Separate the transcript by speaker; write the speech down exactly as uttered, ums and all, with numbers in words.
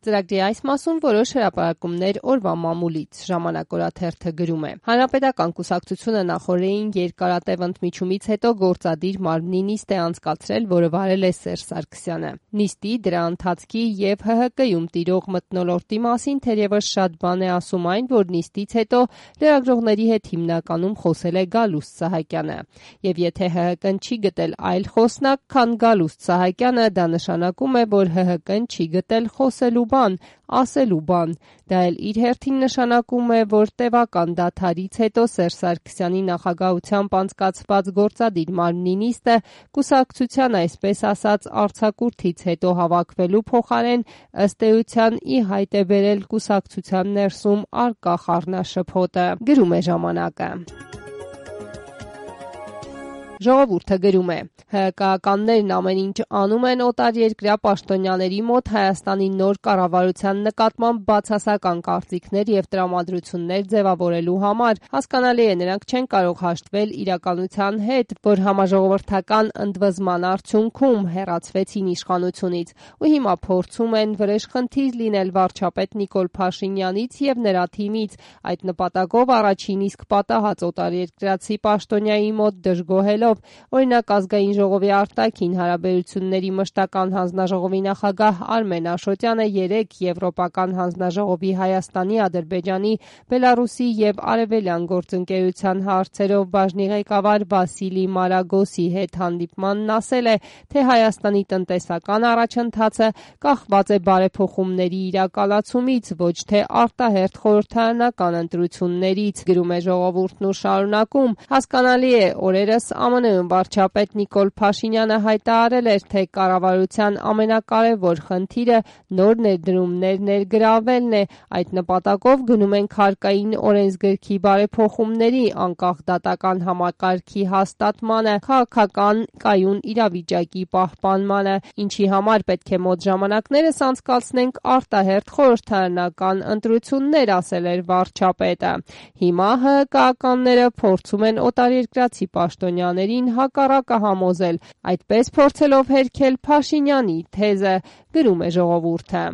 Speaker 1: Ծրագրի այս մասում որոշ հրապարակումներ օրվա մամուլից, ժամանակ օրաթերթը գրում է. Հանրապետական կուսակցությունը նախորդին երկարատև ընդմիջումից հետո գործադիր մարմնի նիստ է անցկացրել, որը վարել է Սերժ Սարգսյանը։ Նիստի, դրա ընթացքի եւ Հ Հ Կ-ում տիրող մթնոլորտի մասին թերևս շատ բան է ասում այն, որ նիստից հետո լրագրողների հետ հիմնականում խոսել է Գալուստ Սահակյանը։ Եվ եթե Հ Հ Կն չի գտել այլ խոսնակ, քան Գալուստ Սահակյանը, դա նշանակում է, որ Հ Հ Կն չի գտել խոսելու բան, ասելու բան։ Դա էլ իր հերթին նշանակում է, որ տևական դադարից հետո Սերժ Սարգսյանի նախագահությամբ անցկացված գործադիր մարմնի նիստը կուսակցության, այսպես ասած, արձակուրդից հետո հավաքվելու փոխարեն ըստ էության ի հայտ է բերել կուսակցության ներսում առկա խառնաշփոթը, գրում է ժամանակը։ Ժողովուրդը գրում է. Հ Հ Կ-ականներն ամեն ինչ անում են օտարերկրյա պաշտոնյաների մոտ Հայաստանի նոր կառավարության նկատմամբ բացասական կարծիքներ եւ տրամադրություններ ձևավորելու համար։ Հասկանալի է, նրանք չեն կարող հաշտվել իրականության հետ, որ համաժողովրդական ընդվզման արդյունքում հեռացվեցին իշխանությունից ու հիմա փորձում են վրեժխնդիր լինել վարչապետ Նիկոլ Փաշինյանից եւ նրա թիմից, այդ նպատակով առաջին իսկ պատահած օտարերկրացի պաշտոնյայի մոտ դժգոհելով, օրինակ ազգային ժողովի արտաքին հարաբերությունների մշտական հանձնաժողովի նախագահ Արմեն Աշոտյանը երեկ Եվրոպական հանձնաժողովի Հայաստանի, Ադրբեջանի, Բելարուսի եւ Արևելյան գործընկերության հարցերով բաժնի ղեկավար Վասիլի Մարագոսի հետ հանդիպմանն ասել է, թե Հայաստանի տնտեսական առաջընթացը կախված է բարեփոխումների իրականացումից, ոչ թե արտահերթ խորհրդարանական ընտրություններից, գրում է Ժողովուրդն ու շարունակում. հասկանալի է, օրերս Ա Մ Ն վարչապետ Նիկոլ Փաշինյանը հայտարարել էր, թե կառավարության ամենակարևոր խնդիրը նոր ներդրումներ ներգրավելն է, այդ նպատակով գնում ենք հարկային օրենսգրքի բարեփոխումների, անկախ դատական համակարգի հաստատմանը, քաղաքական կայուն իրավիճակի պահպանմանը, ինչի համար պետք է մոտ ժամանակներս անցկացնենք արտահերթ խորհրդարանական ընտրություններ, ասել էր վարչապետը։ Հիմա Հ Հ Կ-ականները փորձում են օտարերկրացի պաշտոնյաներին հակառակը համոզել, այդպես փորձելով հերքել Փաշինյանի թեզը, գրում է Ժողովուրդը։